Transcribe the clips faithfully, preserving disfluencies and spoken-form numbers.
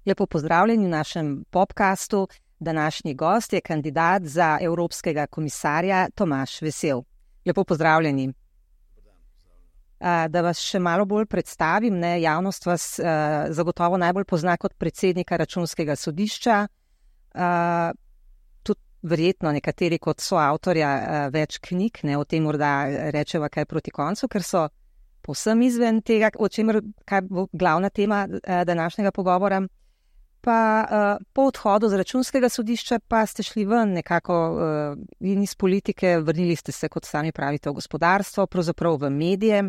Lepo pozdravljeni v našem podcastu. Današnji gost je kandidat za evropskega komisarja Tomaž Vesel. Lepo pozdravljeni. Da vas še malo bolj predstavim, ne, javnost vas uh, zagotovo najbolj pozna kot predsednika Računskega sodišča, uh, tudi verjetno nekateri kot soavtorja uh, več knjig, ne, o tem morda rečeva kaj proti koncu, ker so povsem izven tega, o čemer kaj bo glavna tema uh, današnjega pogovora. Pa uh, po odhodu z Računskega sodišča pa ste šli ven nekako uh, in iz politike, vrnili ste se, kot sami pravite, v gospodarstvo, pravzaprav v medije.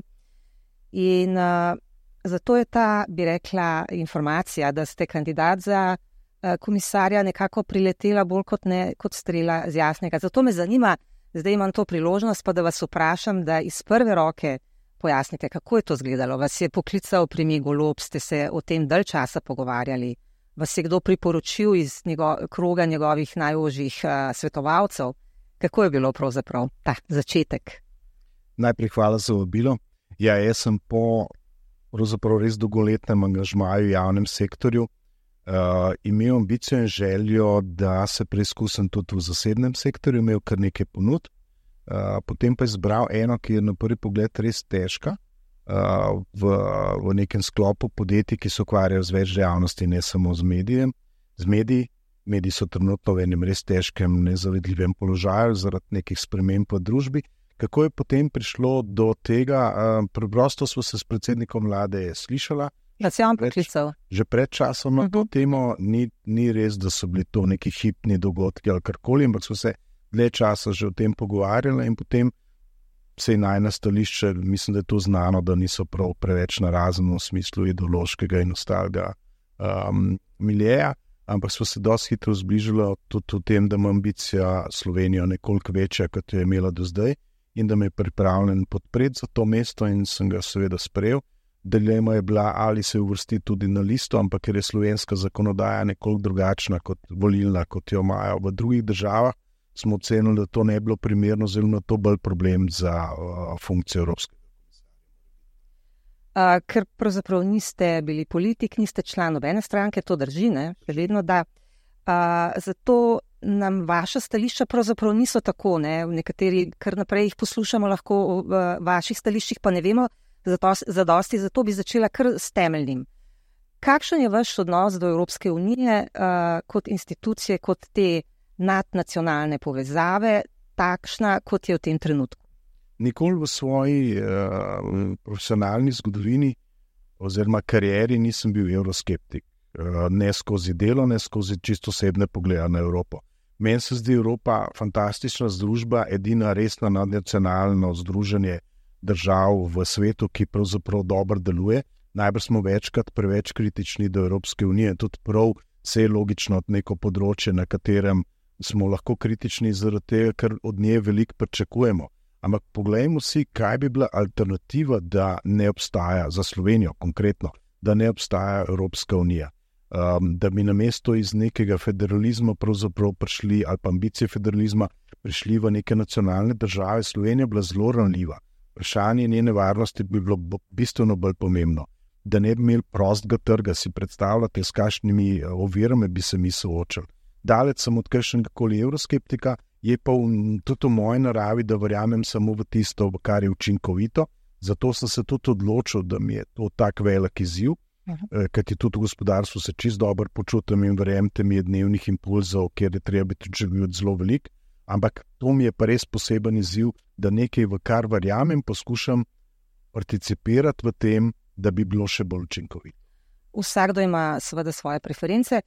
In uh, zato je ta, bi rekla, informacija, da ste kandidat za uh, komisarja nekako priletela bolj kot, ne, kot strela z jasnega. Zato me zanima, zdaj imam to priložnost, pa da vas vprašam, da iz prve roke pojasnite, kako je to izgledalo. Vas je poklical premier Golob, ste se o tem dalj časa pogovarjali, vas je kdo priporočil iz njego, kroga njegovih najožjih uh, svetovalcev. Kako je bilo pravzaprav ta začetek? Najprej hvala za vabilo. Ja, jaz sem po pravzaprav res dolgoletnem angažmaju v javnem sektorju uh, imel ambicijo in željo, da se preizkusim tudi v zasebnem sektorju, imel kar nekaj ponud, uh, potem pa izbral eno, ki je na prvi pogled res težka, uh, v, v nekem sklopu podjetij, ki se ukvarjajo z več dejavnosti, ne samo z medijem, z mediji. Mediji so trenutno v enem res težkem, nezavidljivem položaju zaradi nekih sprememb v družbi. Kako je potem prišlo do tega? Preprosto smo se s predsednikom vlade slišala. Da se je on poklical. Že pred časom na to temo, ni, ni res, da so bili to neki hipni dogodki ali karkoli, ampak smo se dlje časa že o tem pogovarjali in potem se je najna stališče, mislim, da je to znano, da niso prav preveč narazen v smislu ideološkega in ostalega um, miljeja, ampak smo se dosti hitro zbližali tudi v tem, da ima ambicija Slovenijo nekoliko večja, kot je imela do zdaj, in da me je pripravljen podpreti za to mesto in sem ga seveda sprejel. Dilema je bila, ali se uvrsti tudi na listo, ampak ker je slovenska zakonodaja nekoliko drugačna kot volilna, kot jo imajo v drugih državah, smo ocenili, da to ne bi bilo primerno, oziroma to bolj problem za uh, funkcijo evropskega komisarja. Uh, ker pravzaprav niste bili politik, niste član nobene stranke, to drži, ne? Vedno da. Uh, zato nam vaša stališča pravzaprav niso tako, ne, v nekateri, kar naprej jih poslušamo lahko v vaših stališčih, pa ne vemo zadosti, zato bi začela kar s temeljnim. Kakšen je vaš odnos do Evropske unije uh, kot institucije, kot te nadnacionalne povezave, takšna, kot je v tem trenutku? Nikoli v svoji uh, profesionalni zgodovini oziroma karieri nisem bil evroskeptik. Ne skozi delo, ne skozi čisto osebne poglede na Evropo. Meni se zdi Evropa fantastična združba, edina resna nadnacionalno združenje držav v svetu, ki pravzaprav dobro deluje. Najbrž smo večkrat preveč kritični do Evropske unije, tudi prav se je logično neko področje, na katerem smo lahko kritični zaradi tega, ker od nje veliko pričakujemo. Ampak poglejmo si, kaj bi bila alternativa, da ne obstaja za Slovenijo konkretno, da ne obstaja Evropska unija. Um, da bi namesto iz nekega federalizma pravzaprav prišli, ali pa ambicije federalizma, prišli v neke nacionalne države. Slovenija bila zelo ranljiva. Vprašanje njene varnosti bi bilo bistveno bolj pomembno. Da ne bi imeli prostega trga, si predstavljate, s kakšnimi ovirami bi se mi soočali. Daleč sem od kakšnega koli evroskeptika, je pa v, tudi v moji naravi, da verjamem samo v tisto, kar je učinkovito. Zato sem se tudi odločil, da mi je to tak velik izziv, kajti tudi v gospodarstvu se čisto dobro počutim in verjemite mi je dnevnih impulzov, kjer je treba biti živeti zelo velik, ampak to mi je pa res poseben izziv, da nekaj, v kar verjamem, poskušam participirati v tem, da bi bilo še bolj učinkovito. Vsakdo ima seveda svoje preference.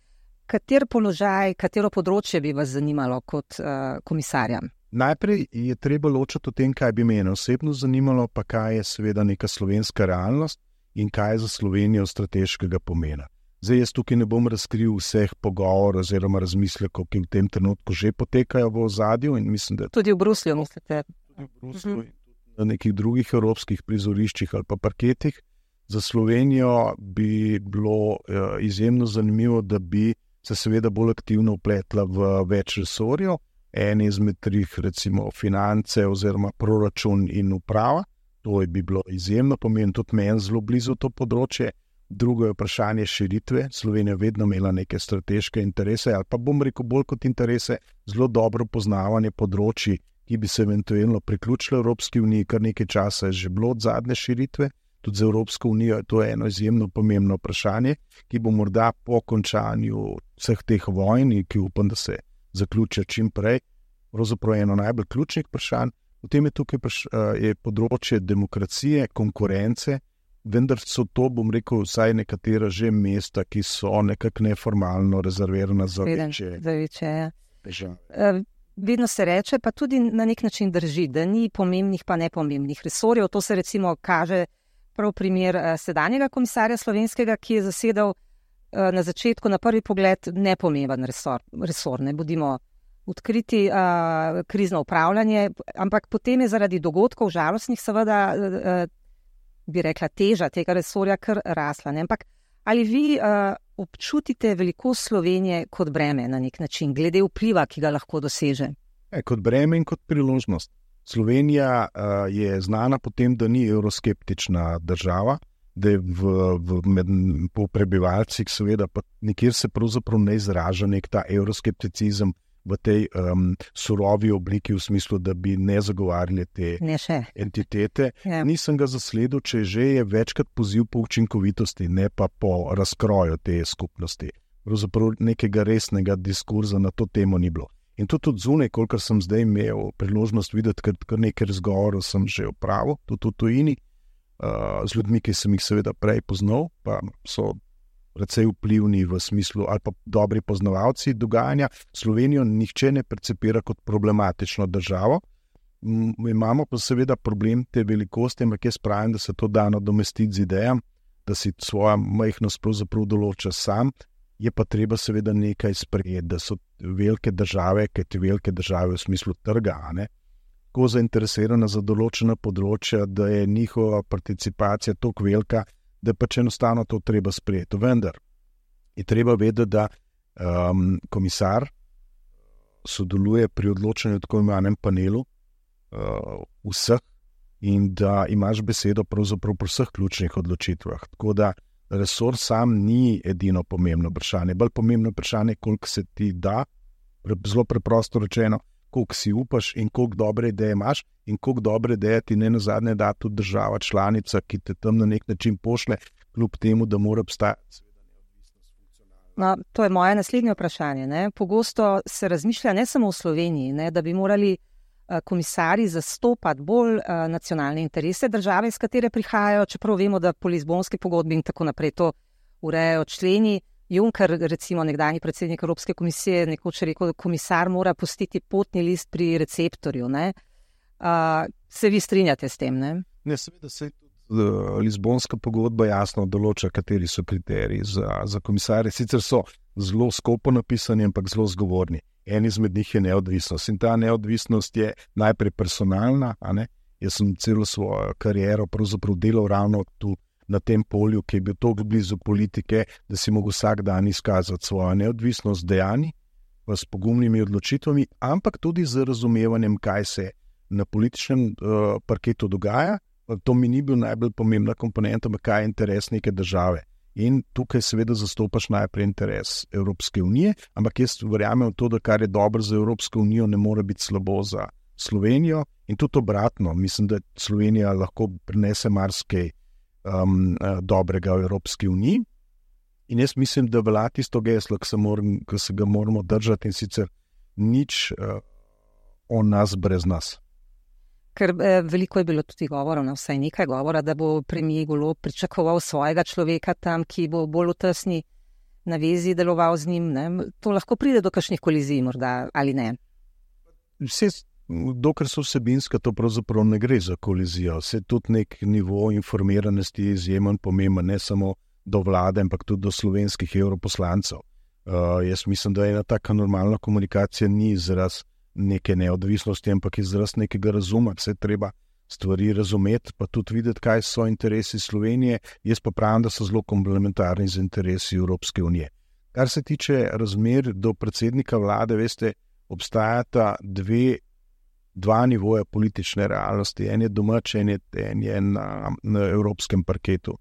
Kater položaj, katero področje bi vas zanimalo kot uh, komisarja? Najprej je treba ločiti o tem, kaj bi mene osebno zanimalo, pa kaj je seveda neka slovenska realnost in kaj je za Slovenijo strateškega pomena. Zdaj jaz tukaj ne bom razkril vseh pogovorov oziroma razmislekov, ki v tem trenutku že potekajo v ozadju. In mislim, da tudi v Bruslju, mislite? Tudi v Bruslju in tudi na nekih drugih evropskih prizoriščih ali pa parketih. Za Slovenijo bi bilo uh, izjemno zanimivo, da bi se seveda bolj aktivno vpletla v več resorjev. En izmed trih, recimo finance oziroma proračun in uprava. To bi bilo izjemno pomembno, tudi meni zelo blizu to področje. Drugo je vprašanje širitve. Slovenija vedno imela neke strateške interese, ali pa bom rekel bolj kot interese, zelo dobro poznavanje področji, ki bi se eventualno priključili Evropski uniji, kar nekaj časa je že bilo od zadnje širitve. Tudi za Evropsko unijo je to eno izjemno pomembno vprašanje, ki bo morda po končanju vseh teh vojn, ki upam, da se zaključijo čim prej, pravzaprav eno najbolj ključnih vprašanj. Potem je tukaj je področje demokracije, konkurence, vendar so to, bom rekel, vsaj nekatera že mesta, ki so nekako neformalno rezervirana za večje. Za večje, ja. Uh, vedno se reče, pa tudi na nek način drži, da ni pomembnih pa nepomembnih resorjev. To se recimo kaže prav primer uh, sedanjega komisarja slovenskega, ki je zasedal uh, na začetku, na prvi pogled, nepomemben resor. resor ne bodimo odkriti, uh, krizno upravljanje, ampak potem je zaradi dogodkov žalostnih seveda, uh, bi rekla, teža tega resorja kar rasla. Ne? Ampak ali vi uh, občutite velikost Slovenije kot breme na nek način, glede vpliva, ki ga lahko doseže? E, kot breme in kot priložnost. Slovenija uh, je znana po tem, da ni evroskeptična država, da je v, v, med, po prebivalcih seveda pa nikjer se pravzaprav ne izraža nek ta evroskepticizem v tej um, surovi obliki, v smislu, da bi ne zagovarjali te ne entitete. Ja. Nisem ga zasledil, če že je večkrat poziv po učinkovitosti, ne pa po razkroju te skupnosti. Pravzaprav nekega resnega diskurza na to temo ni bilo. In to tudi zunaj, kolikor sem zdaj imel priložnost videti, ker, ker nekaj razgovorov sem že opravil, tudi v tujini, uh, z ljudmi, ki sem jih seveda prej poznal, pa so precej vplivni v smislu, ali pa dobri poznavalci dogajanja. Slovenijo nihče ne percepira kot problematično državo. M, imamo pa seveda problem te velikosti, ampak jaz pravim, da se to da nadomestiti z idejam, da si svojo majhnost pravzaprav določa sam, je pa treba seveda nekaj sprejeti, da so velike države, kaj te velike države v smislu trga, ne, tako zainteresirane za določena področja, da je njihova participacija toliko velika, da pač enostavno to treba sprejeti. Vendar je treba vedeti, da um, komisar sodeluje pri odločanju v tako imenem panelu uh, vseh in da imaš besedo pravzaprav pri vseh ključnih odločitvah. Tako da resor sam ni edino pomembno vprašanje. Bolj pomembno vprašanje, koliko se ti da, zelo preprosto rečeno, koliko si upaš in koliko dobre ideje imaš in koliko dobre ideje ti ne nazadnje da tudi država članica, ki te tam na nek način pošle, kljub temu, da mora obstajati. No, to je moje naslednje vprašanje. Ne? Pogosto se razmišlja ne samo v Sloveniji, ne, da bi morali uh, komisarji zastopati bolj uh, nacionalne interese države, iz katere prihajajo, čeprav vemo, da po Lizbonski pogodbi in tako naprej to urejajo členi. Juncker, recimo nekdanji predsednik Evropske komisije, nekoč rekel, da komisar mora pustiti potni list pri receptorju. Ne? Uh, se vi strinjate s tem? Ne, ne seveda se tudi uh, Lizbonska pogodba jasno določa, kateri so kriteriji za, za komisarje. Sicer so zelo skopo napisani, ampak zelo zgovorni. En izmed njih je neodvisnost in ta neodvisnost je najprej personalna. A ne? Jaz sem celo svojo kariero pravzaprav delal ravno tu na tem polju, ki je bil toliko blizu politike, da si mogel vsak dan izkazati svojo neodvisnost dejanj, s pogumnimi odločitvami, ampak tudi z razumevanjem, kaj se na političnem uh, parketu dogaja. To mi ni bil najbolj pomembna komponenta, ampak kaj je interes neke države. In tukaj seveda zastopaš najprej interes Evropske unije, ampak jaz verjamem v to, da kar je dobro za Evropsko unijo, ne more biti slabo za Slovenijo in tudi obratno. Mislim, da Slovenija lahko prinese marsikaj Um, dobrega v Evropski uniji. In jaz mislim, da velja tisto geslo, ki se, moram, ki se ga moramo držati, in sicer nič uh, o nas brez nas. Ker eh, veliko je bilo tudi govora, no, vsaj nekaj govora, da bo premier Golob pričakoval svojega človeka tam, ki bo bolj v tesni navezi deloval z njim. Ne? To lahko pride do kakšnih kolizij morda, ali ne? Vse Dokler so vsebinska, to pravzaprav ne gre za kolizijo. Se tudi nek nivo informiranosti je izjemen pomemben, ne samo do vlade, ampak tudi do slovenskih evroposlancev. Uh, jaz mislim, da ena taka normalna komunikacija ni izraz neke neodvisnosti, ampak izraz nekega razuma. Se treba stvari razumeti, pa tudi videti, kaj so interesi Slovenije. Jaz pa pravim, da so zelo komplementarni z interesi Evropske unije. Kar se tiče razmer do predsednika vlade, veste, obstajata dve dva nivoja politične realnosti. En je domač, en je, en je na, na evropskem parketu.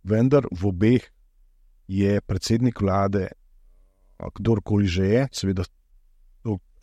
Vendar v obeh je predsednik vlade, kdorkoli že je, seveda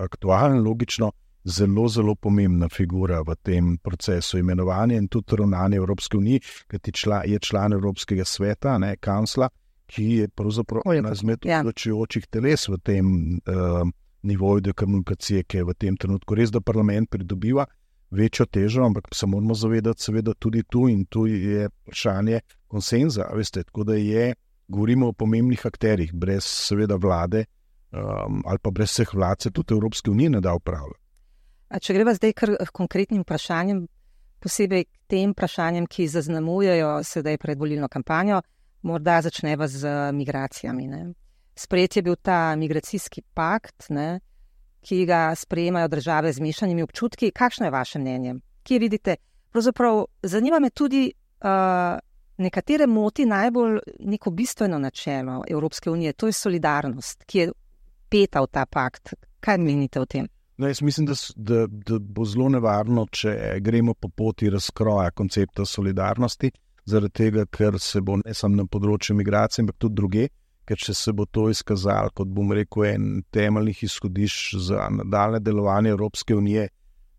aktualen, logično, zelo, zelo pomembna figura v tem procesu imenovanja in tudi ravnanja Evropske unije, kajti čla, je član Evropskega sveta, ne, kancla, ki je pravzaprav ena izmed odločujočih teles v tem uh, nivoju demokracije, ki je v tem trenutku res, da parlament pridobiva večjo težo, ampak se moramo zavedati seveda tudi tu in tu je vprašanje konsenza, veste, tako da je, govorimo o pomembnih akterjih, brez seveda vlade um, ali pa brez vseh vlad se tudi Evropske unije ne da upravljati. A če greva zdaj kar konkretnim vprašanjem, posebej tem vprašanjem, ki zaznamujejo sedaj predvolilno kampanjo, morda začneva z migracijami. Ne. Sprejet je bil ta migracijski pakt, ne, ki ga sprejemajo države z mešanimi občutki. Kakšno je vaše mnenje? Kje vidite? Pravzaprav zanima me tudi, uh, nekatere moti najbolj neko bistveno načelo Evropske unije, to je solidarnost, ki je peta v ta pakt. Kaj menite o tem? No, jaz mislim, da, da, da bo zelo nevarno, če gremo po poti razkroja koncepta solidarnosti, zaradi tega, ker se bo ne samo na področju migracije, ampak tudi druge, ker če se bo to izkazalo, kot bom rekel, en temeljnih izhodišč za nadaljne delovanje Evropske unije,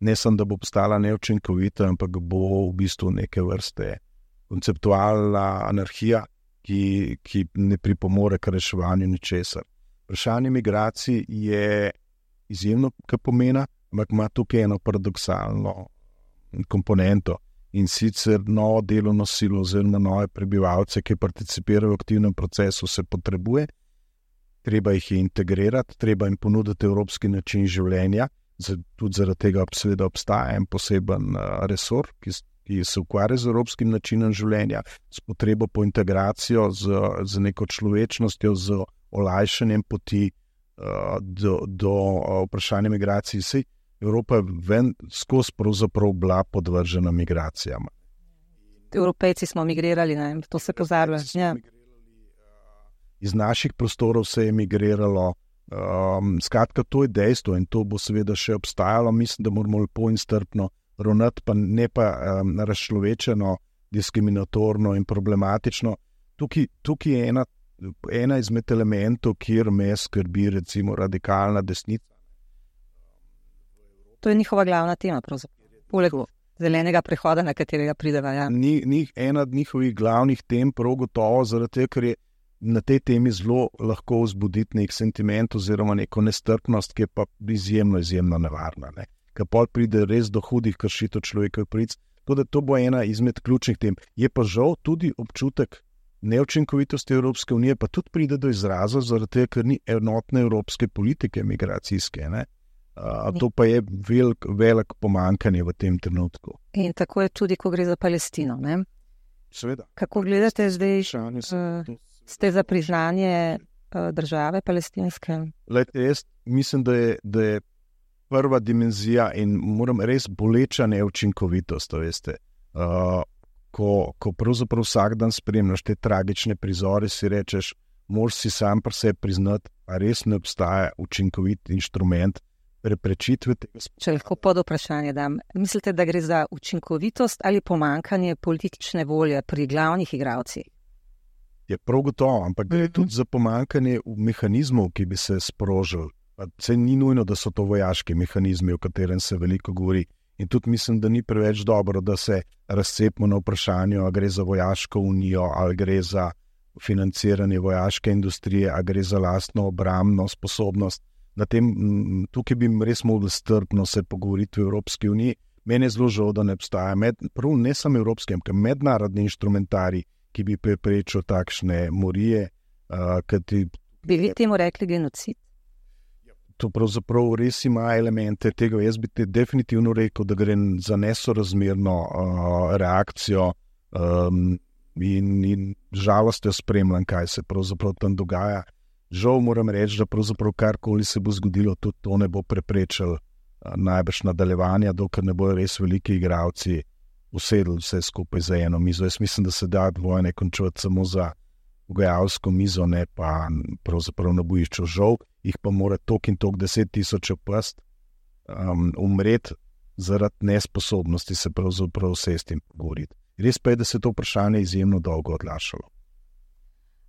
ne samo, da bo postala neučinkovita, ampak bo v bistvu neke vrste konceptualna anarhija, ki, ki ne pripomore k reševanju ničesar. Vprašanje migracij je izjemno pomena, ampak ima tukaj eno paradoksalno komponento in sicer novo delovno silo oziroma nove prebivalce, ki participirajo v aktivnem procesu, se potrebuje, treba jih je integrirati, treba jim ponuditi evropski način življenja, tudi zaradi tega seveda obstaja en poseben resor, ki, ki se ukvarja z evropskim načinom življenja, s potrebo po integracijo, z, z neko človečnostjo, z olajšanjem poti do, do vprašanja migracij. Sej Evropa je ven skozi pravzaprav bila podvržena migracijama. Evropejci smo migrirali, ne? To se pozablja. Ja. Iz naših prostorov se je migriralo. Um, skratka, to je dejstvo in to bo seveda še obstajalo. Mislim, da moramo lepo in strpno ravnati, pa ne pa um, razčlovečeno, diskriminatorno in problematično. Tukaj, tukaj je ena ena izmed elementov, kjer me skrbi recimo radikalna desnica. To je njihova glavna tema, pravzaprav. Poleg zelenega prehoda, na katerega prideva. Ja. Ni, ni ena od njihovih glavnih tem, prav gotovo, zaradi tega, ker je na tej temi zelo lahko vzbuditi nek sentiment oziroma neko nestrpnost, ki je pa izjemno, izjemno nevarna. Ne. Ker pol pride res do hudih kršitev človekovih pravic. Tudi to bo ena izmed ključnih tem. Je pa žal tudi občutek neučinkovitosti Evropske unije, pa tudi pride do izraza, zaradi tega, ker ni enotne evropske politike migracijske. Ne? A, to pa je velik, velik pomankanje v tem trenutku. In tako je tudi, ko gre za Palestino. Ne? Seveda. Kako gledate zdaj, uh, ste za priznanje uh, države palestinske? Lejte, jaz mislim, da je, da je prva dimenzija in moram res boleča neučinkovitost, veste. Uh, Ko, ko pravzaprav vsak dan spremljaš te tragične prizore, si rečeš, moraš si sam pri sebi priznati, a res ne obstaja učinkovit inštrument preprečitve tega. Če lahko pod vprašanje dam, mislite, da gre za učinkovitost ali pomankanje politične volje pri glavnih igralcih? Je prav gotovo, ampak gre mm-hmm. tudi za pomankanje mehanizmov, ki bi se sprožili. Se ni nujno, da so to vojaški mehanizmi, o katerem se veliko govori. In tudi mislim, da ni preveč dobro, da se razcepimo na vprašanju, ali gre za vojaško unijo, ali gre za financiranje vojaške industrije, ali gre za lastno obrambno sposobnost. Na tem, tukaj bi res mogli strpno se pogovoriti v Evropski uniji. Meni je zelo žal, da ne obstaja med, prav ne samo evropski, ampak mednarodni inštrumentari, ki bi preprečil takšne morije. Uh, ti... Bi vi temu rekli genocid? To pravzaprav res ima elemente tega. Jaz bi te definitivno rekel, da gre za nesorazmerno uh, reakcijo um, in, in žalostjo spremljam, kaj se pravzaprav tam dogaja. Žal moram reči, da pravzaprav karkoli se bo zgodilo, tudi to ne bo preprečilo uh, najbrž nadaljevanja, dokler ne bojo res veliki igralci usedli vse skupaj za eno mizo. Jaz mislim, da se da vojne končati samo za pogajalsko mizo, ne pa pravzaprav na bojišču. Žal jih pa mora tok in tok deset tisoč opast um, umreti zaradi nesposobnosti se pravzaprav vse s tem pogovoriti. Res pa je, da se to vprašanje izjemno dolgo odlašalo.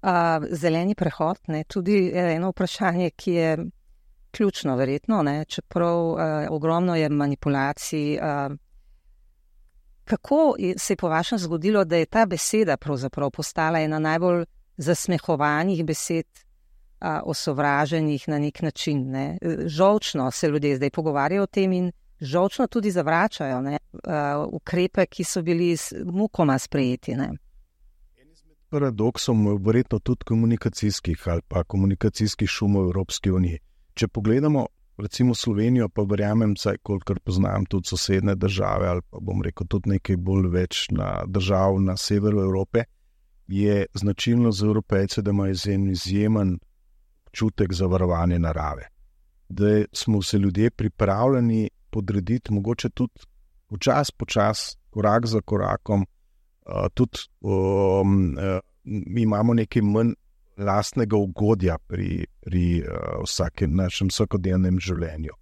Uh, zeleni prehod, ne, tudi eno vprašanje, ki je ključno verjetno, ne, čeprav uh, ogromno je manipulacij. Uh, kako se je po vašem zgodilo, da je ta beseda pravzaprav postala ena najbolj zasmehovanih besed, uh, osovraženih na nek način? Ne? Žolčno se ljudje zdaj pogovarjajo o tem in žolčno tudi zavračajo, ne, uh, ukrepe, ki so bili s mukoma sprejeti, ne. Paradoksov je verjetno tudi komunikacijskih ali pa komunikacijskih šumov v Evropski uniji. Če pogledamo recimo Slovenijo, pa verjamem, saj kolikor poznam tudi sosedne države ali pa bom rekel tudi nekaj bolj več na držav na severu Evrope, je značilno za Evropejce, da imajo izjemen občutek za varovanje narave. Da smo se ljudje pripravljeni podrediti, mogoče tudi počas, počas, korak za korakom, Uh, tudi um, uh, mi imamo nekaj manj lastnega ugodja pri, pri uh, vsakem našem vsakodnevnem življenju.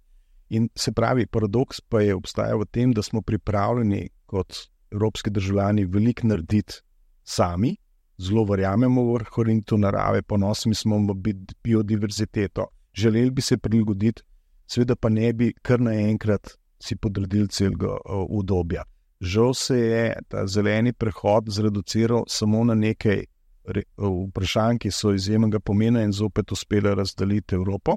In se pravi, paradoks pa je obstaja v tem, da smo pripravljeni kot evropski državljani veliko narediti sami, zelo verjamemo v ohranitev narave, ponosni smo v biodiverziteto, želeli bi se prilagoditi, seveda pa ne bi kar naenkrat si podredili celega uh, udobja. Žal se je ta zeleni prehod zreduciral samo na nekaj vprašanj, ki so izjemnega pomena in zopet uspela razdeliti Evropo.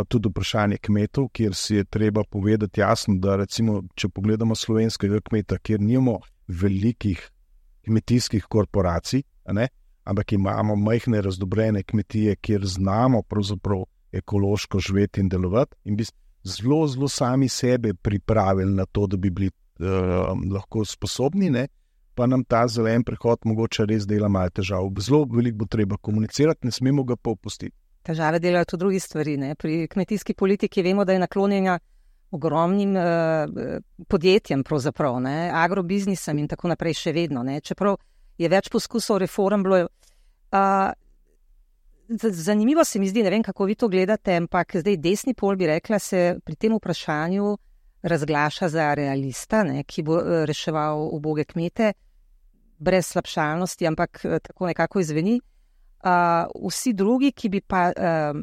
Tudi vprašanje kmetov, kjer si je treba povedati jasno, da recimo, če pogledamo slovenskega kmeta, kjer nimamo velikih kmetijskih korporacij, ne, ampak imamo majhne razdobrene kmetije, kjer znamo pravzaprav ekološko živeti in delovati in bi zelo, zelo sami sebe pripravili na to, da bi bili Uh, lahko sposobni, ne, pa nam ta zelen prehod mogoče res dela malo težav. Zelo veliko bo treba komunicirati, ne smemo ga pa opustiti. Težave delajo tudi drugi stvari. Ne. Pri kmetijski politiki vemo, da je naklonjena ogromnim uh, podjetjem, pravzaprav, ne, agrobiznisem in tako naprej še vedno. Ne. Čeprav je več poskusov reform bilo. Uh, zanimivo se mi zdi, ne vem, kako vi to gledate, ampak zdaj desni pol bi rekla, se pri tem vprašanju razglaša za realista, ne, ki bo reševal uboge kmete, brez slabšalnosti, ampak tako nekako izveni. Uh, vsi drugi, ki bi pa uh,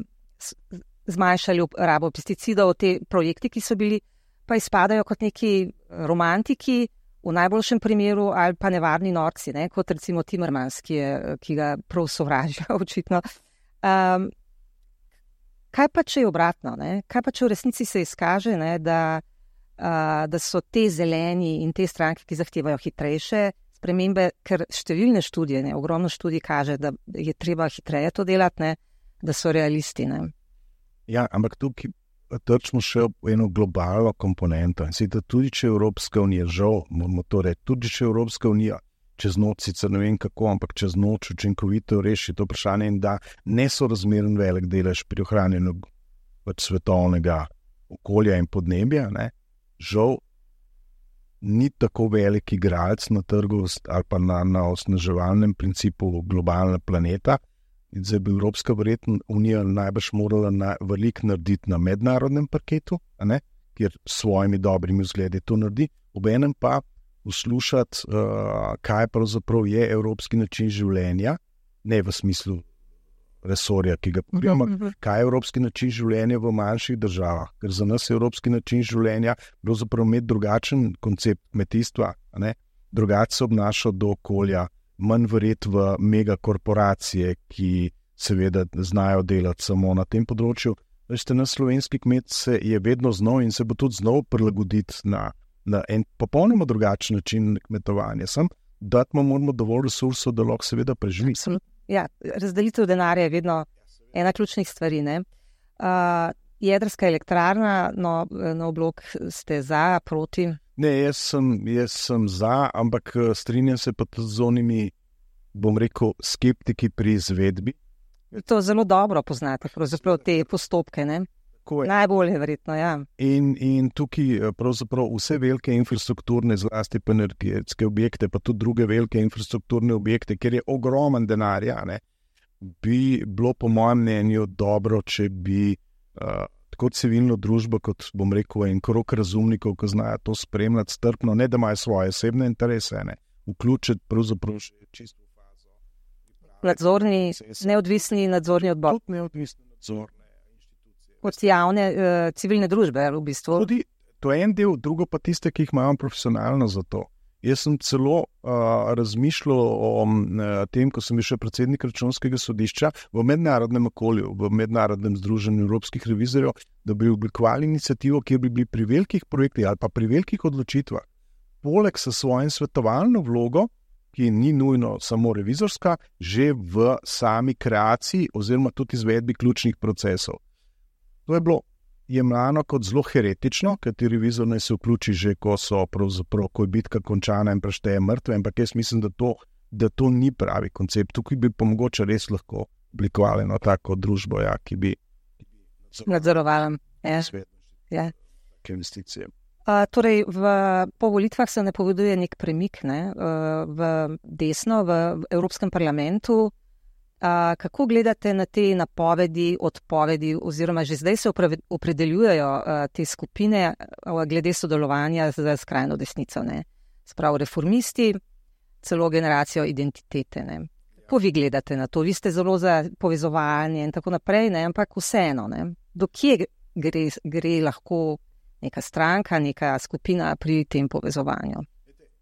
zmanjšali rabo pesticidov, te projekti, ki so bili, pa izpadajo kot neki romantiki, v najboljšem primeru, ali pa nevarni norci, ne, kot recimo Timmermans, ki, je, ki ga prav sovražijo, očitno. Um, kaj pa, če je obratno? Ne? Kaj pa, če v resnici se izkaže, ne, da Uh, da so te zeleni in te stranke, ki zahtevajo hitrejše spremembe, ker številne študije, ne, ogromno študij kaže, da je treba hitreje to delati, ne, da so realisti. Ne. Ja, ampak tukaj trčimo še v eno globalno komponento. In sicer tudi, če Evropska unija, žal, moramo to reči, tudi če Evropska unija čez noč, sicer ne vem kako, ampak čez noč učinkovito reši to vprašanje in da nesorazmeren velik delež pri ohranjanju pač svetovnega okolja in podnebja, ne, žal ni tako velik igralec na trgu ali pa na, na osnaževalnem principu globalnega planeta. In zdaj bi Evropska unija najbrž morala na, veliko narediti na mednarodnem parketu, a ne, kjer s svojimi dobrimi vzgledi to naredi, obenem pa poslušati, uh, kaj pravzaprav je evropski način življenja, ne v smislu resorja, ki ga pokrijemo, kaj je evropski način življenja v manjših državah, ker za nas je evropski način življenja pravzaprav imeti drugačen koncept kmetijstva, ne? Drugače se obnaša do okolja, manj verjet v megakorporacije, ki seveda znajo delati samo na tem področju. Veste, naš slovenski kmet se je vedno znal in se bo tudi znal prilagoditi na, na en popolnoma drugačen način kmetovanja. Sam dati mu moramo dovolj resursov, da lahko seveda preživi. Ja, razdelitev denarja je vedno ena ključnih stvari. Ne? Uh, jedrska elektrarna, no, nov blok ste za, proti? Ne, jaz sem, jaz sem za, ampak strinjam se pa tudi z onimi, bom rekel, skeptiki pri izvedbi. To zelo dobro poznate, pravzaprav te postopke, ne? Najbolje verjetno, ja. In, in tukaj pravzaprav vse velike infrastrukturne, zlasti pa energetske objekte, pa tudi druge velike infrastrukturne objekte, kjer je ogromen denarja, ne, bi bilo po mojem mnenju dobro, če bi uh, tako civilno družbo, kot bom rekel, en krog razumnikov, ki znajo to spremljati strpno, ne da imajo svoje osebne interese, ne, vključiti pravzaprav še čisto v fazo. Nadzorni, neodvisni nadzorni odbor. Tudi neodvisni nadzorne inštitucije. Kot javne uh, civilne družbe, v bistvu. Tudi to je en del, drugo pa tiste, ki jih imamo profesionalno za to. Jaz sem celo uh, razmišljal o uh, tem, ko sem bil še predsednik Računskega sodišča v mednarodnem okolju, v mednarodnem združenju evropskih revizorjev, da bi oblikovali inicijativo, kjer bi bili pri velikih projektih ali pa pri velikih odločitvah, poleg s svojim svetovalno vlogo, ki ni nujno samo revizorska, že v sami kreaciji oziroma tudi izvedbi ključnih procesov. To je bilo jemljano kot zelo heretično, ker ti revizor naj se vključi že, ko so pravzaprav, ko je bitka končana in prešteje mrtve, ampak jaz mislim, da to, da to ni pravi koncept. Tukaj bi pa mogoče res lahko oblikovali eno tako družbo, ja, ki bi nadzorovala svet ja. take investicije. Uh, torej, v, po volitvah se napoveduje nek premik ne, uh, v desno, v, v Evropskem parlamentu. Uh, kako gledate na te napovedi, odpovedi, oziroma že zdaj se opredeljujejo uh, te skupine uh, glede sodelovanja z skrajno desnico, ne? Sprav reformisti, celo generacijo identitete. Ne? Kako vi gledate na to? Vi ste zelo za povezovanje in tako naprej, ne? Ampak vseeno, ne? Do kje gre, gre lahko neka stranka, neka skupina pri tem povezovanju?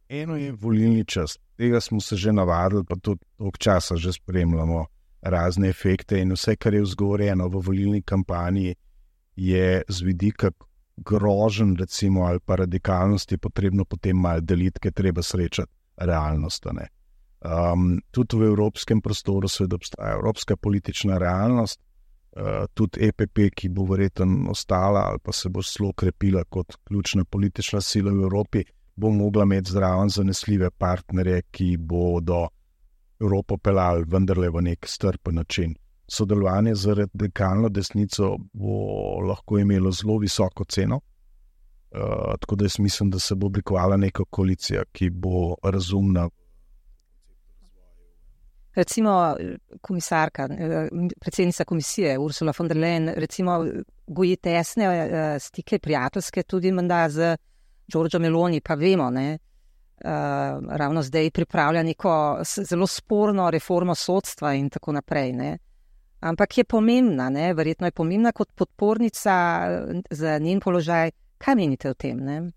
Eno je volilni čas. Tega smo se že navadili, pa tudi dolgo časa že spremljamo razne efekte in vse, kar je vzgovorjeno v volilni kampanji, je z vidika groženj, recimo, ali pa radikalnosti potrebno potem malo deliti, ker treba srečati realnost. Ne? Um, tudi v evropskem prostoru seveda obstaja evropska politična realnost, uh, tudi E P P, ki bo verjetno ostala ali pa se bo zelo krepila kot ključna politična sila v Evropi, bo mogla imeti zraven zanesljive partnerje, ki bodo Evropo pelali vendarle v nek strpen način. Sodelovanje z radikalno desnico bo lahko imelo zelo visoko ceno, uh, tako da jaz mislim, da se bo oblikovala neka koalicija, ki bo razumna. Recimo komisarka, predsednica komisije Ursula von der Leyen, recimo goji tesne uh, stike prijateljske tudi menda z Giorgio Meloni, pa vemo, ne, uh, ravno zdaj pripravlja neko zelo sporno reformo sodstva in tako naprej, ne. Ampak je pomembna, ne, verjetno je pomembna kot podpornica za njen položaj. Kaj menite o tem, ne?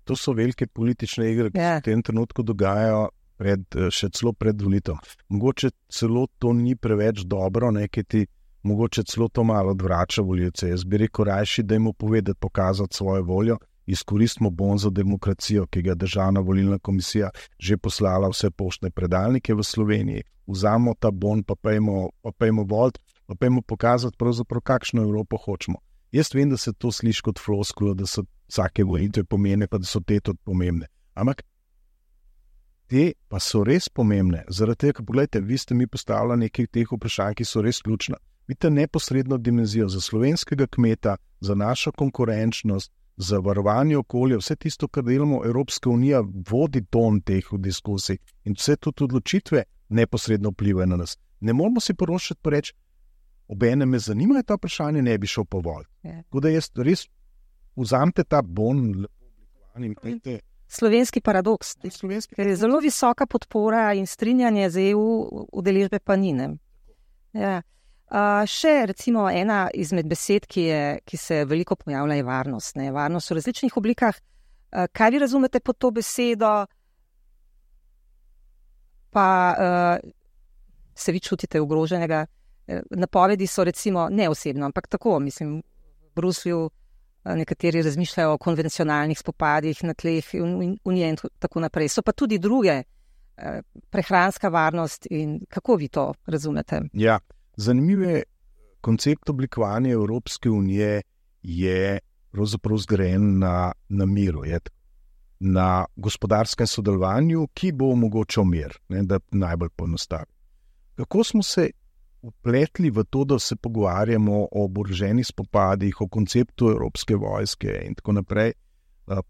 To so velike politične igre, ki ja. se v tem trenutku dogajajo pred, še celo pred volitvom. Mogoče celo to ni preveč dobro, ne, ki ti mogoče celo to malo odvrača volivce. Jaz bi rekel rajši, da jim povedati, pokazati svojo voljo, izkoristimo bon za demokracijo, ki ga Državna volilna komisija že poslala vse poštne predalnike v Sloveniji. Vzamemo ta bon, pa pejmo, pa pejmo volt, pa pejmo pokazati pravzaprav, kakšno Evropo hočemo. Jaz vem, da se to sliši kot floskula, da so vsake volitve pomembne, pa da so te tudi pomembne. Ampak te pa so res pomembne. Zaradi tega, pogledajte, vi ste mi postavili nekaj teh vprašanj, ki so res ključna. Vidite neposredno dimenzijo za slovenskega kmeta, za našo konkurenčnost, za varovanje okolja, vse tisto, kar delamo, Evropska unija vodi ton teh diskusij in vse tudi odločitve neposredno vplivajo na nas. Ne moramo si porošati pa reči, obene me zanimajo ta vprašanje, ne bi šel po vol. Yeah. Tako da jaz res vzamete ta bon, lepo oblikovan in pejte. Slovenski paradoks, Slovenski ker je zelo visoka podpora in strinjanje z E U udeležbe pa ni. Ja. Uh, še recimo ena izmed besed, ki, je, ki se veliko pojavlja, je varnost. Ne? Varnost v različnih oblikah. Uh, kaj vi razumete pod to besedo? Pa uh, se vi čutite ogroženega? Napovedi so recimo ne osebno, ampak tako, mislim, v Bruslju nekateri razmišljajo o konvencionalnih spopadih na tleh Unije in tako naprej. So pa tudi druge, prehranska varnost in kako vi to razumete? Ja, zanimiv je koncept oblikovanja Evropske unije je pravzaprav zgrajen na, na miru, je, na gospodarskem sodelovanju, ki bo omogočal mir, ne, da najbolj poenostavi. Kako smo se upletli v to, da se pogovarjamo o oboroženih spopadih, o konceptu evropske vojske in tako naprej.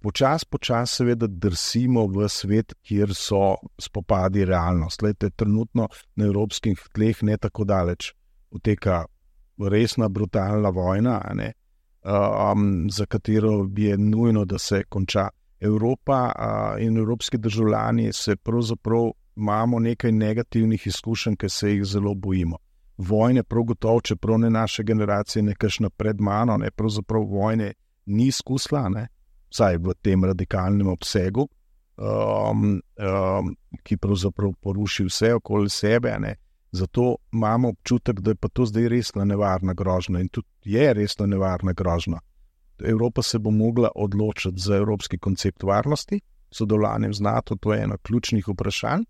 Počas, počas seveda drsimo v svet, kjer so spopadi realnost. Lejte, trenutno na evropskih tleh ne tako daleč poteka resna, brutalna vojna, ne? um, za katero je nujno, da se konča. Evropa uh, in evropski državljani se pravzaprav imamo nekaj negativnih izkušenj, ki se jih zelo bojimo. Vojne, prav gotovo, čeprav ne naše generacije, nekakšna pred mano, ne, pravzaprav vojne ni izkusila, ne, vsaj v tem radikalnem obsegu, um, um, ki pravzaprav poruši vse okoli sebe, ne. Zato imamo občutek, da je pa to zdaj resna nevarna grožnja in tudi je resna nevarna grožnja. Evropa se bo mogla odločiti za evropski koncept varnosti, sodelovanjem z NATO, to je eno ključnih vprašanj.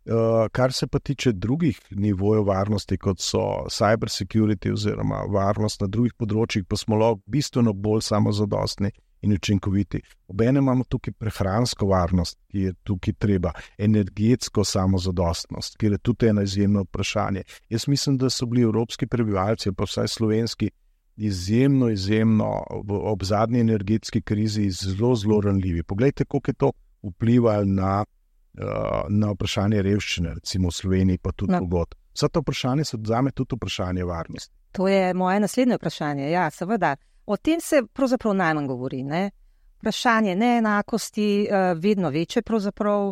Uh, kar se pa tiče drugih nivojev varnosti, kot so cyber security oziroma varnost na drugih področjih, pa smo lahko bistveno bolj samozadostni in učinkoviti. Obenem imamo tukaj prehransko varnost, ki je tukaj treba, energetsko samozadostnost, ki je tudi eno izjemno vprašanje. Jaz mislim, da so bili evropski prebivalci, pa vsaj slovenski, izjemno, izjemno ob zadnji energetski krizi zelo, zelo ranljivi. Poglejte, koliko je to vplivalo na na vprašanje revščine, recimo v Sloveniji, pa tudi drugod. No. Vsa ta vprašanja so zame tudi vprašanje varnosti. To je moje naslednje vprašanje, ja, seveda. O tem se pravzaprav najmanj govori, ne? Vprašanje neenakosti, vedno večje pravzaprav,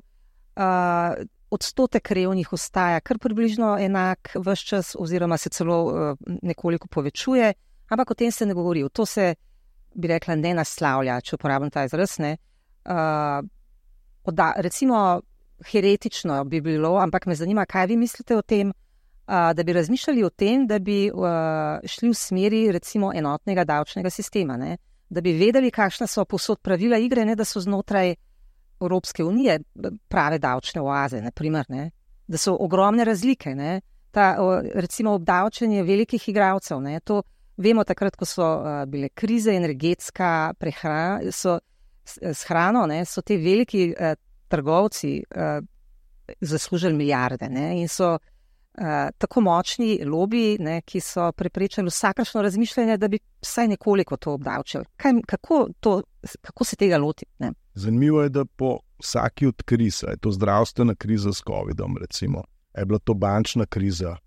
odstotek revnih ostaja kar približno enak ves čas, oziroma se celo nekoliko povečuje, ampak o tem se ne govori. To se, bi rekla, ne naslavlja, če uporabim ta izraz, ne? Da, recimo, heretično bi bilo, ampak me zanima, kaj vi mislite o tem, da bi razmišljali o tem, da bi šli v smeri recimo enotnega davčnega sistema, ne? Da bi vedeli, kakšna so povsod pravila igre, ne da so znotraj Evropske unije prave davčne oaze, naprimer, ne? Da so ogromne razlike, ne? Ta, recimo obdavčenje velikih igralcev, ne? To vemo takrat, ko so bile krize, energetska prehrana, so s hrano, ne, so te veliki eh, trgovci eh, zaslužili milijarde, ne, in so eh, tako močni lobiji, ne, ki so preprečili vsakršno razmišljanje, da bi vsaj nekoliko to obdavčili. Kaj, kako, to, kako se tega loti? Ne? Zanimivo je, da po vsaki od kriz, je to zdravstvena kriza s covidom, recimo, je bila to bančna kriza,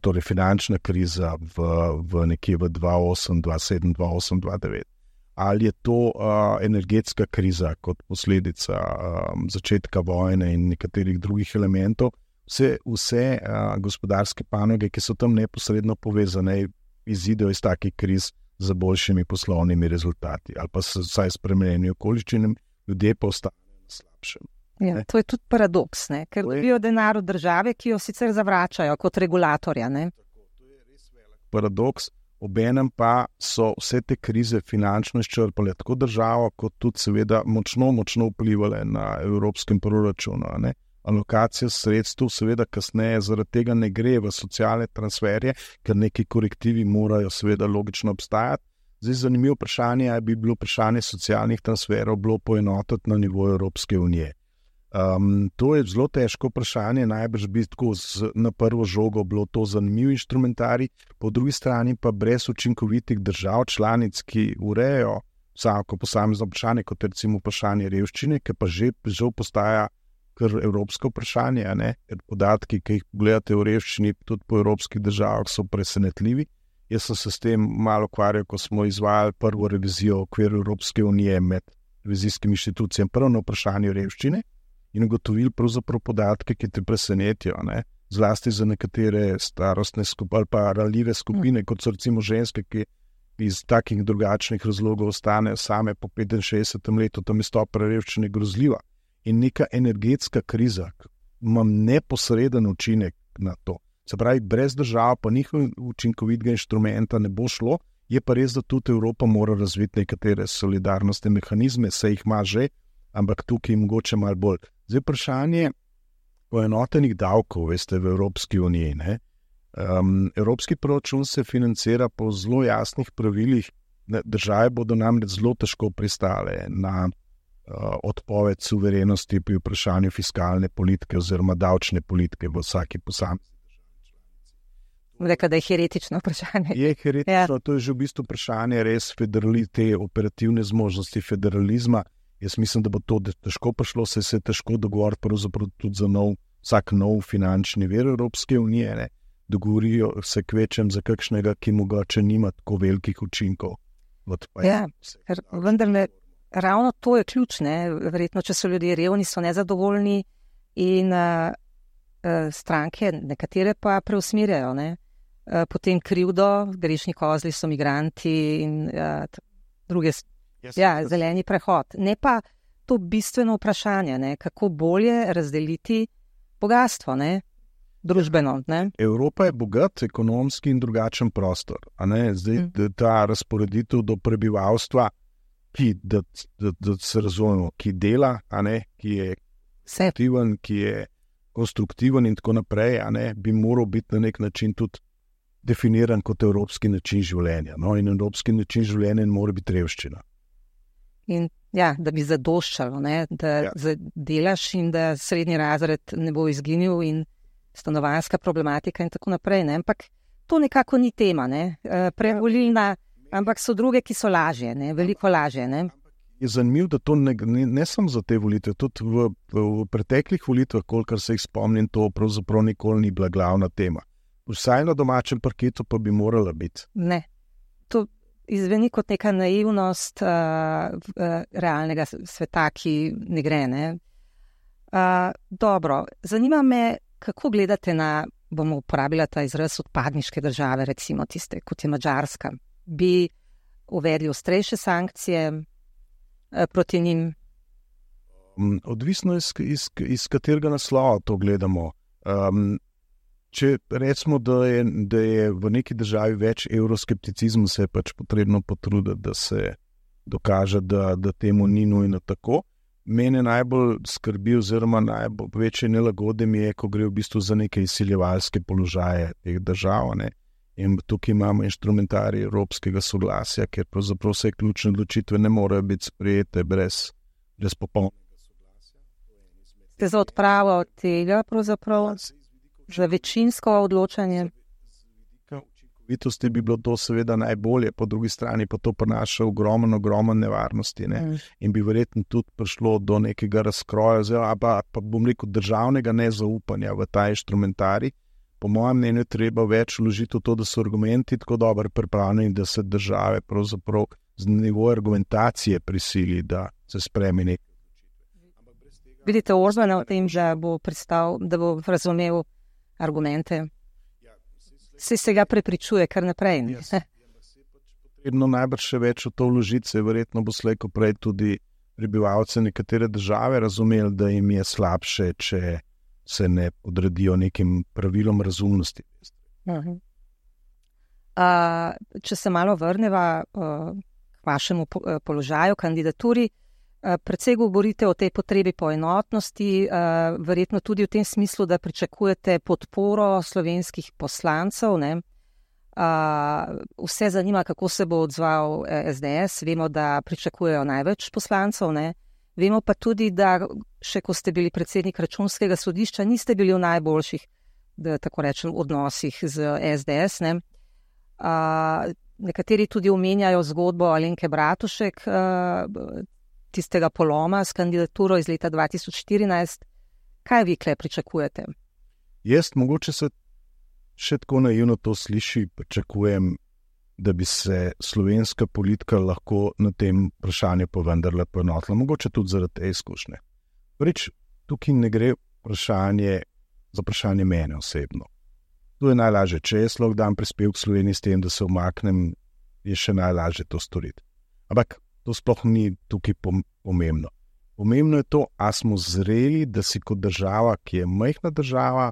torej finančna kriza v, v nekje v dva tisoč osem, dva tisoč sedem, dva tisoč osem, dva tisoč devet. Ali je to uh, energetska kriza kot posledica um, začetka vojne in nekaterih drugih elementov, vse, vse uh, gospodarske panoge, ki so tam neposredno povezane, izidejo iz takih kriz za boljšimi poslovnimi rezultati ali pa se vsaj spremenjeni okoliščinami, ljudje pa ostanejo na slabšem. Ja, to je tudi paradoks, ne? Ker dobijo denar od države, ki jo sicer zavračajo kot regulatorja. Ne? Tako, to je res velik paradoks. Obenem pa so vse te krize finančno izčrpale tako državo, kot tudi seveda močno, močno vplivale na evropskem proračunu. Ne? Alokacija sredstev seveda kasneje zaradi tega ne gre v socialne transferje, ker neki korektivi morajo seveda logično obstajati. Zdaj zanimivo vprašanje, ali bi bilo vprašanje socialnih transferov bilo poenotiti na nivoju Evropske unije. Um, to je zelo težko vprašanje, najbrž bi tako z, na prvo žogo bilo to zanimiv inštrumentarij, po drugi strani pa brez učinkovitih držav članic, ki urejajo vsako posamezno vprašanje, kot recimo vprašanje revščine, ki pa že, že postaja kar evropsko vprašanje, ne? Ker podatki, ki jih pogledate v revščini, tudi po evropskih državah, so presenetljivi. Jaz sem se s tem malo ukvarjal, ko smo izvajali prvo revizijo v okviru Evropske unije med revizijskimi inštitucijami, prvo na vprašanje revščine, in ugotovili pravzaprav podatke, ki te presenetijo, ne? Zlasti za nekatere starostne skupine ali pa ranljive skupine, kot so recimo ženske, ki iz takih drugačnih razlogov ostanejo same po petinšestdesetem letu, tam je stopnja revščine grozljiva. In neka energetska kriza ima neposreden učinek na to. Se pravi, brez držav pa njihov učinkovitega inštrumenta ne bo šlo, je pa res, da tudi Evropa mora razviti nekatere solidarnostne mehanizme, se jih ima že, ampak tukaj mogoče malo bolj. Zdaj vprašanje poenotenih davkov, veste, v Evropski uniji. Ne? Um, Evropski proračun se financira po zelo jasnih pravilih. Države bodo namreč zelo težko pristale na uh, odpoved suverenosti pri vprašanju fiskalne politike oziroma davčne politike v vsaki posamezni državi. Reka, da je heretično vprašanje. Je heretično, ja. To je že v bistvu vprašanje res federali, te operativne zmožnosti federalizma. Jaz mislim, da bo to težko prišlo, se je težko dogovoriti pravzaprav tudi za nov, vsak nov finančni vir Evropske unije. Ne? Dogovorijo se kvečem za kakšnega, ki mogoče nima tako velikih učinkov. Ja, ker vendarle ravno to je ključ, ne? Verjetno, če so ljudje revni, so nezadovoljni in uh, uh, stranke, nekatere pa preusmirjajo, ne? Uh, potem krivdo, grešni kozli so migranti in uh, druge, yes, ja, yes. zeleni prehod. Ne pa to bistveno vprašanje, ne? Kako bolje razdeliti bogatstvo, ne? Družbeno. Ne? Evropa je bogat, ekonomski in drugačen prostor. A ne? Zdaj, mm. ta razporeditev do prebivalstva, ki, da, da, da se razumemo, ki dela, a ne? Ki je aktiven, ki je konstruktiven in tako naprej, a ne? Bi moral biti na nek način tudi definiran kot evropski način življenja. No? In evropski način življenja mora biti revščina. In ja, da bi zadoščalo, ne? Da ja. delaš in da srednji razred ne bo izginil in stanovanjska problematika in tako naprej. Ne? Ampak to nekako ni tema, ne? Prevolilna, ampak so druge, ki so lažje, ne? Veliko lažje. Ne? Je zanimivo, da to ne, ne, ne samo za te volitve, tudi v, v, v preteklih volitvah, kolikor se jih spomnim, to pravzaprav nikoli ni bila glavna tema. Vsaj na domačem parketu pa bi morala biti. Ne, to izveni kot neka naivnost uh, uh, realnega sveta, ki ne gre. Ne? Uh, dobro, zanima me, kako gledate na, bomo uporabila ta izraz, odpadniške države, recimo tiste, kot je Madžarska. Bi uvedli ostrejše sankcije uh, proti njim? Odvisno iz, iz, iz katerega naslova to gledamo. Um, Če recimo, da je, da je v neki državi več evroskepticizma, se je pač potrebno potruditi, da se dokaže, da, da temu ni nujno tako. Mene najbolj skrbi oziroma najbolj večje nelagode mi je, ko gre v bistvu za neke izsiljevalske položaje teh držav. Ne? In tukaj imamo inštrumentarij evropskega soglasja, ker pravzaprav vse ključne odločitve ne morejo biti sprejete brez, brez popolnega soglasja. Ste za odpravo tega pravzaprav? Za večinsko odločanje? Učinkovitosti bi bilo to seveda najbolje, po drugi strani pa to prinaša ogromno, ogromno nevarnosti. Ne? Mm. In bi verjetno tudi prišlo do nekega razkroja, oziroma pa, pa bom rekel državnega nezaupanja v ta inštrumentarij. Po mojem mnenju treba več vložiti v to, da so argumenti tako dobro pripravljeni, da se države pravzaprav z nivoja argumentacije prisili, da se spremi nekaj. Vidite Orbana v tem, da bo pristal, da bo razumel argumente. Se se ga prepričuje kar naprej. Yes. Potrebno najbrž še več v to vložiti, se verjetno bo slej ko prej tudi prebivalce nekatere države razumeli, da jim je slabše, če se ne podredijo nekim pravilom razumnosti. Uh-huh. Uh, če se malo vrneva uh, k vašemu po, uh, položaju, kandidaturi, predvsej govorite o tej potrebi po enotnosti, verjetno tudi v tem smislu, da pričakujete podporo slovenskih poslancev. Ne? Vse zanima, kako se bo odzval es de es. Vemo, da pričakujejo največ poslancev. Ne? Vemo pa tudi, da še ko ste bili predsednik Računskega sodišča, niste bili v najboljših, da tako rečem, odnosih z es de es. Ne? Nekateri tudi omenjajo zgodbo Alenke Bratušek, tistega poloma s kandidaturo iz leta dva tisoč štirinajst. Kaj vi kle pričakujete? Jaz mogoče se še tako naivno to sliši, pričakujem, da bi se slovenska politika lahko na tem vprašanju pa vendarle poenotila. Mogoče tudi zaradi te izkušnje. Prvič, tukaj ne gre vprašanje za vprašanje mene osebno. To je najlažje. Če jaz lahko dam prispevek k Sloveniji s tem, da se umaknem, je še najlažje to storiti. Ampak to sploh ni tukaj pomembno. Pomembno je to, a smo zreli, da si kot država, ki je majhna država,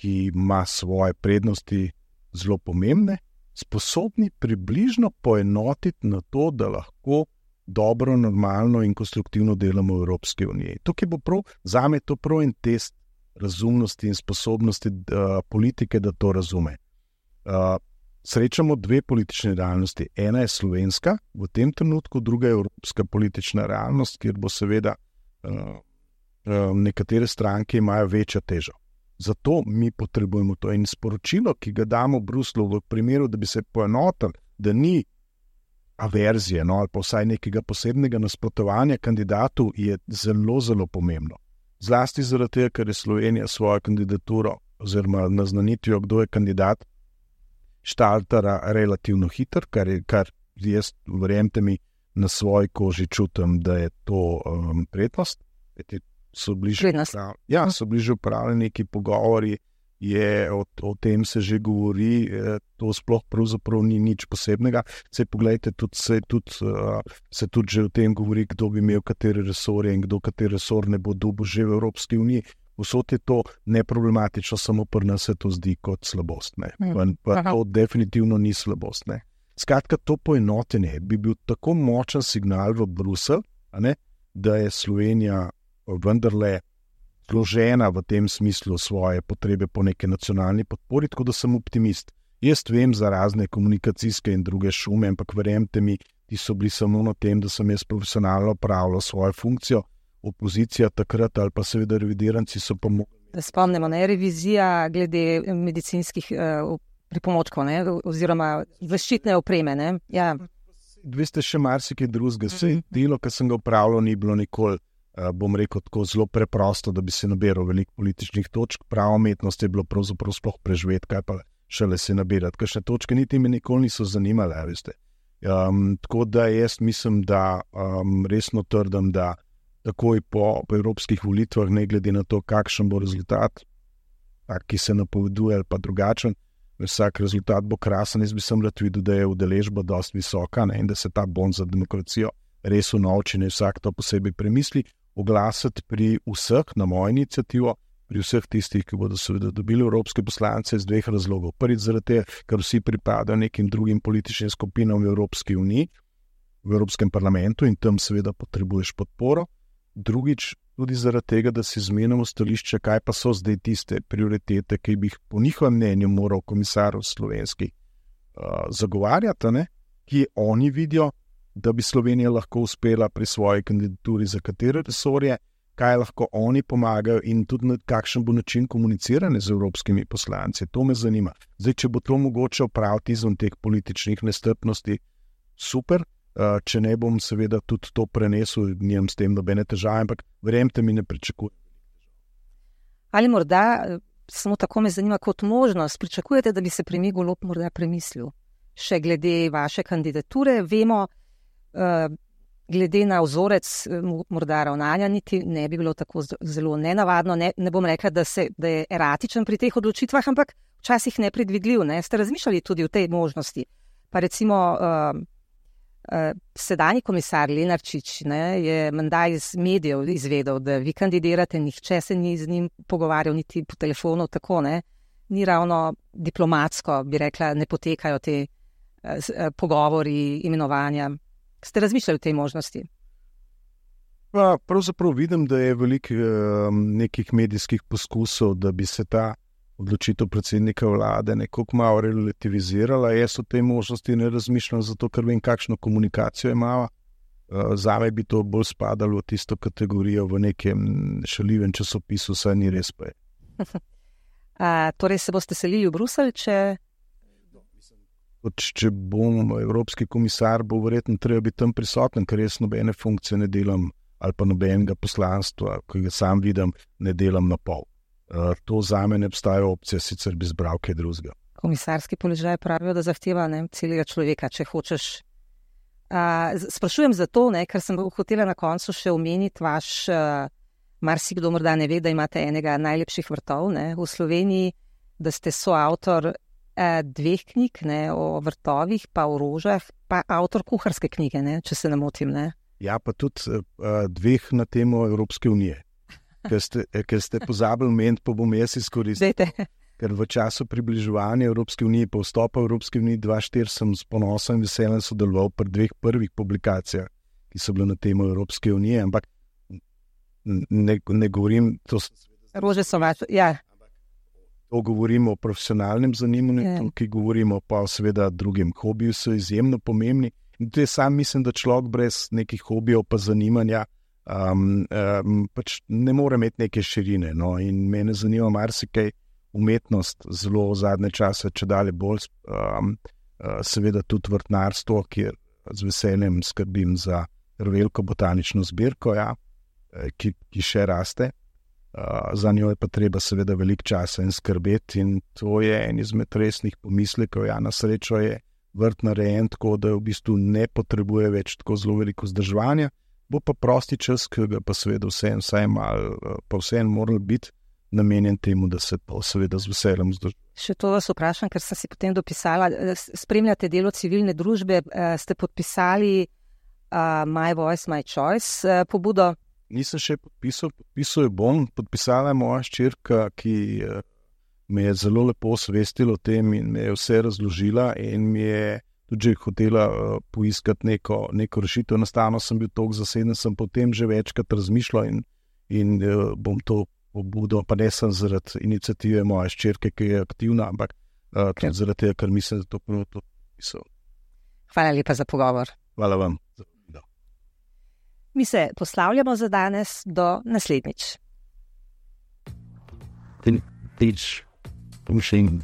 ki ima svoje prednosti zelo pomembne, sposobni približno poenotiti na to, da lahko dobro, normalno in konstruktivno delamo v Evropski uniji. Tukaj bo prav, zame to prav en test razumnosti in sposobnosti uh, politike, da to razume. Uh, Srečamo dve politične realnosti. Ena je slovenska, v tem trenutku, druga je evropska politična realnost, kjer bo seveda uh, uh, nekatere stranke imajo večjo težo. Zato mi potrebujemo to in sporočilo, ki ga damo v Bruslu v primeru, da bi se poenotili, da ni averzije, no, ali pa vsaj nekega posebnega nasprotovanja kandidatu, je zelo, zelo pomembno. Zlasti zaradi tega, ker je Slovenija svojo kandidaturo oziroma naznanitvijo, kdo je kandidat, štartara relativno hiter, kar, je, kar jaz, verjemite mi, na svoji koži čutim, da je to um, prednost. So bliže, ja, so bliže upravljeni neki pogovori, je, o, o tem se že govori, to sploh pravzaprav ni nič posebnega. Sej pogledajte, tudi, se, tudi, uh, se tudi že o tem govori, kdo bi imel katere resorje in kdo kateri resor ne bo dobil že v Evropski uniji. Vsot je to neproblematično, samo pri nas se to zdi kot slabost. Ne. Pa, pa to definitivno ni slabost. Ne. Skratka, to poenotenje bi bil tako močen signal v Bruselj, da je Slovenija vendarle zložena v tem smislu svoje potrebe po neki nacionalni podpori, tako da sem optimist. Jaz vem za razne komunikacijske in druge šume, ampak verjemite mi, ti so bili samo na tem, da sem jaz profesionalno opravljal svojo funkcijo, opozicija takrat ali pa seveda revidiranci so pa mogli. Da spomnimo, ne, revizija glede medicinskih uh, pripomočkov, ne, oziroma zaščitne opreme, ne. Ja. Veste, še marsikaj drugega. Vse delo, ki sem ga opravljal, ni bilo nikoli, uh, bom rekel, tako zelo preprosto, da bi se nabiral veliko političnih točk. Prava umetnost je bilo pravzaprav sploh preživeti, kaj pa šele se nabirati. Kakšne točke niti me nikoli niso zanimale, veste. Um, tako da jaz mislim, da um, resno trdim, da takoj po, po evropskih volitvah, ne glede na to, kakšen bo rezultat, tak, ki se napoveduje ali pa drugačen, vsak rezultat bo krasen. Jaz bi sem rad videl, da je udeležba dosti visoka, ne, in da se ta bond za demokracijo res unovči, ne vsak to posebej premisli, oglasiti pri vseh, na mojo inicijativo, pri vseh tistih, ki bodo seveda dobili evropske poslance iz dveh razlogov. Prvič zaradi tega, ker vsi pripadajo nekim drugim političnim skupinam v Evropski uniji, v Evropskem parlamentu in tam seveda potrebuješ podporo. Drugič, tudi zaradi tega, da si zmenimo stališče, kaj pa so zdaj tiste prioritete, ki bi jih po njihovem mnenju moral komisar slovenski uh, zagovarjati, ne? Ki oni vidijo, da bi Slovenija lahko uspela pri svoji kandidaturi za katere resorje, kaj lahko oni pomagajo in tudi na kakšen bo način komuniciranja z evropskimi poslanci. To me zanima. Zdaj, če bo to mogoče opraviti izven teh političnih nestrpnosti, super. Uh, če ne bom seveda tudi to prenesel, nimam s tem nobene težave, ampak verjemite mi, ne pričakujem. Ali morda, samo tako me zanima, kot možnost, pričakujete, da bi se premijer Golob morda premislil? Še glede vaše kandidature, vemo, uh, glede na vzorec morda ravnanja, niti ne bi bilo tako zelo nenavadno, ne, ne bom rekla, da, se, da je eratičen pri teh odločitvah, ampak včasih nepredvidljiv. Ne? Ste razmišljali tudi o tej možnosti? Pa recimo uh, Uh, sedanji komisar Lenarčič, ne, je menda iz medijev izvedel, da vi kandidirate, nihče se ni z njim pogovarjal, niti po telefonu, tako ne. Ni ravno diplomatsko, bi rekla, ne potekajo te uh, uh, pogovori, imenovanja. Ste razmišljali o tej možnosti? Pa, pravzaprav vidim, da je veliko uh, nekih medijskih poskusov, da bi se ta odločitev predsednika vlade nekako malo relativizirala. Jaz o tej možnosti ne razmišljam, zato ker vem, kakšno komunikacijo imava. Zame bi to bolj spadalo v tisto kategorijo v nekem šaljivem časopisu, saj ni res pa je. A, torej se boste selili v Bruselj, če... Če bom evropski komisar, bo verjetno treba biti tam prisoten, ker jaz nobene funkcije ne delam ali pa nobenega poslanstva, ki ga sam vidim, ne delam na pol. Uh, to zame ne obstaja opcija, sicer bi zbral kaj drugega. Komisarski položaj pravijo, da zahteva ne, celega človeka, če hočeš. Uh, sprašujem zato, ne, ker sem hotela na koncu še omeniti vaš, uh, marsikdo morda ne ve, da imate enega najlepših vrtov ne, v Sloveniji, da ste soavtor uh, dveh knjig ne, o vrtovih, pa o rožah, pa avtor kuharske knjige, ne, če se ne motim. Ne. Ja, pa tudi uh, dveh na temo Evropske unije. Ker ste, ker ste pozabili meniti, pa bom jaz izkoristil. Dejte. Ker v času približevanja Evropske unije, pa vstopa v Evropske unije dva tisoč štiri sem s ponosom in veseljem sodeloval pri dveh prvih publikacijah, ki so bile na temo Evropske unije, ampak ne, ne govorim... To Rože so vaš, ja. To govorimo o profesionalnem zanimanju, ja. Ki govorimo pa seveda drugim. Hobiji so izjemno pomembni in tudi sam mislim, da človek brez nekih hobijev pa zanimanja Um, um, pač ne more imeti neke širine. No? In mene zanima marsikaj umetnost, zelo v zadnje čase, če dalje bolj, um, uh, seveda tudi vrtnarstvo, kjer z veseljem skrbim za veliko botanično zbirko, ja, ki, ki še raste. Uh, za njo je pa treba seveda veliko časa in skrbeti in to je en izmed resnih pomislekov. Ja, na srečo je vrt narejen tako, da v bistvu ne potrebuje več tako zelo veliko vzdrževanja, bo pa prosti čas, ki ga pa seveda vsem, vsaj malo, pa vsem moral biti namenjen temu, da se to seveda z veseljem vzdržuje. Še to vas vprašam, ker sem si potem dopisala, spremljate delo civilne družbe, ste podpisali uh, My Voice, My Choice uh, pobudo? Nisem še podpisal, podpisal je bom, podpisala je moja hčerka, ki uh, me je zelo lepo osvestila o tem in me je vse razložila in mi je tudi že hotela uh, poiskati neko, neko rešitev. Enostavno sem bil toliko zaseden, sem potem že večkrat razmišljal in, in uh, bom to pobudo, pa ne sem zaradi iniciative moje hčerke, ki je aktivna, ampak uh, tudi zaradi tega, ker mislim, da to prvo to pisal. Hvala lepa za pogovor. Hvala vam. Mi se poslavljamo za danes, do naslednjič. Teach, pushing,